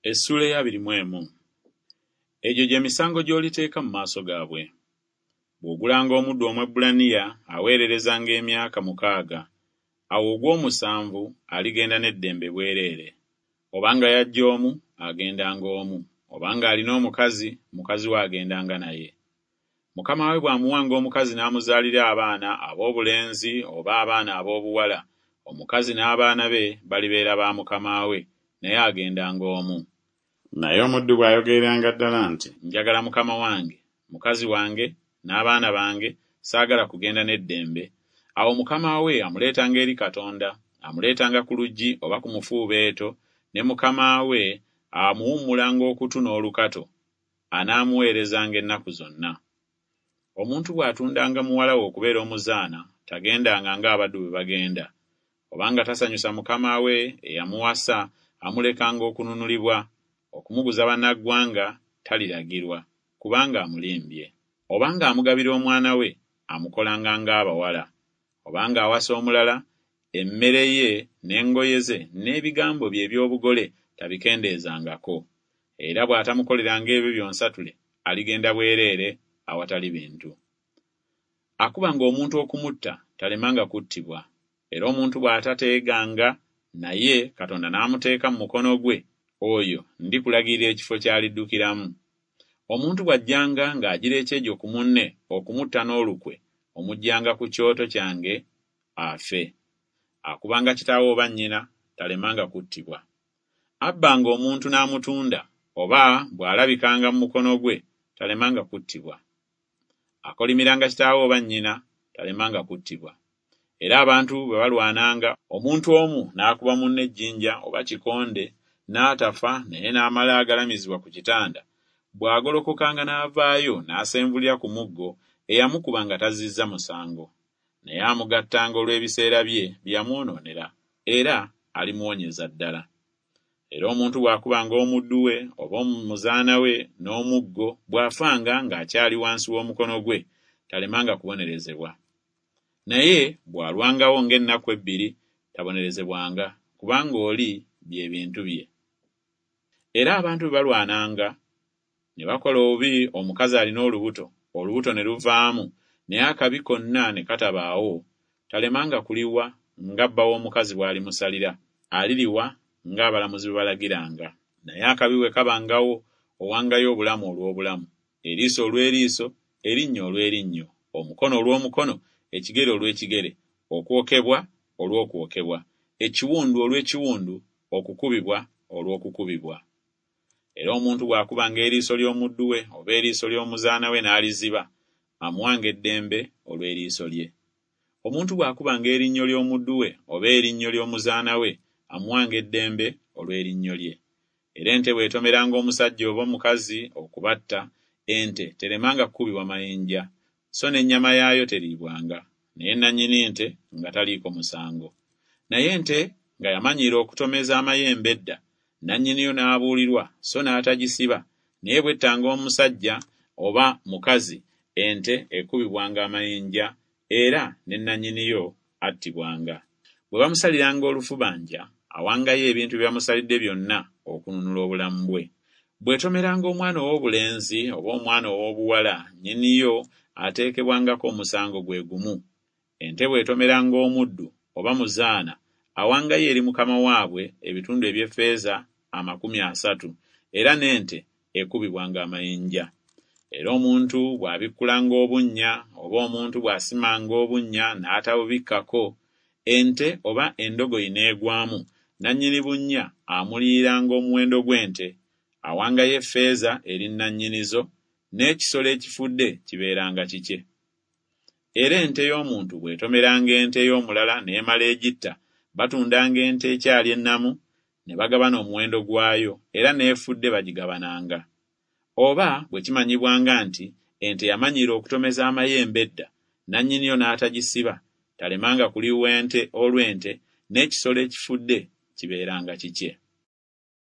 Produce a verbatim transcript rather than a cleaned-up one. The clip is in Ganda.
Essuula ey'abiri mu emu. Egyo gye misango gy'oliteeka mu maaso gaabwe. Bw'ogulanga omuddu Omwebbulaniya, aweererezanga emyaka mukaaga, awo ogw'omusanvu aligenda n'eddembe bwereere. Obanga yajja omu, agendanga omu, obanga alina omukazi, mukazi we agendanga naye. Mukama we bw'amuwanga omukazi n'amuzaalira abaana ab'obulenzi oba abaana ab'obuwala, omukazi n'abaana be balibeera ba mukama we, naye agendanga omu. Naye omuddu bw'ayogereranga ddala nti, Njagala mukama wange, mukazi wange, n'abaana bange, saagala kugenda n'eddembe, awo mukama we amuleetanga eri Katonda, amuleetanga ku luggi oba ku mufuubeeto, ne mukama we amuwummulanga okutu n'olukato, anaamuweerezanga ennaku zonna. Omuntu bw'atundanga muwala we okubeera omuzaana, tagendanga ng'abaddu bwe bagenda. Obanga tasanyusa mukama we eyamuwasa, amulekanga okununulibwa. Okumuguza bannaggwanga taliragirwa, kubanga amulimbye. Obanga amugabira omwana we, amukolanga ng'abawala. Obanga awasa omulala, emmere ye n'engoye ze n'ebigambo bye eby'obugole tabikendeezangako. Era bw'atamukoleranga ebyo byonsatule, aligenda bwereere awatali bintu. Akubanga omuntu okumutta talemanga kuttibwa. Era omuntu bw'atateeganga naye Katonda n'amuteeka mu mukono gwe, oyo ndikulagirira ekifo ky'aliddukiramu. Omuntu bw'ajjanga ng'agira ekyejo ku munne okumutta n'olukwe, omuggyanga ku kyoto kyange afe. Akubanga kitaawe oba nnyina talemanga kuttibwa. Abbanga omuntu n'amutunda, oba bw'alabikanga mu mukono gwe, talemanga kuttibwa. Akolimiranga kitaawe oba nnyina, talemanga kuttibwa. Era abantu bwe balwananga, omuntu omu n'akuba munne ejjinja oba kikonde, n'atafa naye n'amala agalamizibwa ku kitanda, bw'agolokokanga n'avaayo n'asenvulira ku muggo, eyamukuba nga tazzizza musango. Naye amugattanga olw'ebiseera bye bye yamwonoonera, era alimuwonyeza ddala. Era omuntu bw'akubanga omuddu we oba omuzaana we n'omuggo, bw'afanga ng'akyali wansi w'omukono gwe, talemanga kubonerezebwa. Naye bw'alwangawo ng'ennaku ebbiri, tabonerezebwanga, kubanga oli bye bintu bye. Era abantu bwe balwananga, ne bakola obubi omukazi alina olubuto, olubuto ne luvaamu, naye akabi konna ne katabaawo, talemanga kuliwa nga bba w'omukazi bw'alimusalira, aliriwa ng'abalamuzi bwe balagiranga. Naye akabi bwe kabangawo, owangayo obulamu olw'obulamu, eriiso olw'eriiso, erinnyo olw'erinnyo, omukono olw'omukono, ekigere olw'ekigere, okwokebwa olw'okwokebwa, ekiwundu olw'ekiwundu, okukubibwa olw'okukubibwa. Era omuntu bw'akubanga eriiso ly'omuddu we oba eriiso ly'omuzaana we n'aliziba, amuwanga eddembe olw'eriiso lye. Omuntu bw'akubanga erinnyo ly'omuddu we oba erinnyo ly'omuzaana we, amuwanga eddembe olw'erinnyo lye. Era ente bw'etomeranga omusajja oba omukazi okubatta, ente teremanga kukubibwa mayinja, so n'ennyama yaayo teriibwanga, naye nannyini nte nga taliiko musango. Naye ente nga yamanyiira okutomeza amayembe edda, nannyiniyo n'abuulirwa so n'atagisiba, naye bw'ettanga omusajja oba mukazi, ente ekubibwanga amayinja, era ne nannyiniyo attibwanga. Bwe bamusaliranga olufubanja, awangayo ebintu bye bamusalidde byonna okununula obulamu bwe. Bw'etomeranga omwana ow'obulenzi oba omwana ow'obuwala, nnyiniyo ateekebwangako omusango gwe gumu. Ente bw'etomeranga omuddu oba muzaana, awangayo eri mukama waabwe ebitundu eby'effeeza amakumi asatu, era n'ente ekubibwanga amayinja. Era omuntu bw'abikkulanga obunnya oba omuntu bw'asimanga obunnya n'atabubikkako, ente oba endogoyi n'egwamu, nannyini bunnya amuliyiranga omuwendo gw'ente, awangayo effeeza eri nannyinizo, n'ekisolo ekifudde kibeeranga kikye. Era ente y'omuntu bw'etomeranga ente y'omulala n'emala egitta, batundanga ente ekyali ennamu, ne bagabana omuwendo gwayo, era n'efudde bagigabananga. Oba bwe kimanyibwanga nti ente yamanyiira okutomeza amayembe edda, nannyiniyo n'atagisiba, talemanga kuliwa ente olw'ente, n'ekisolo ekifudde kibeeranga kikye.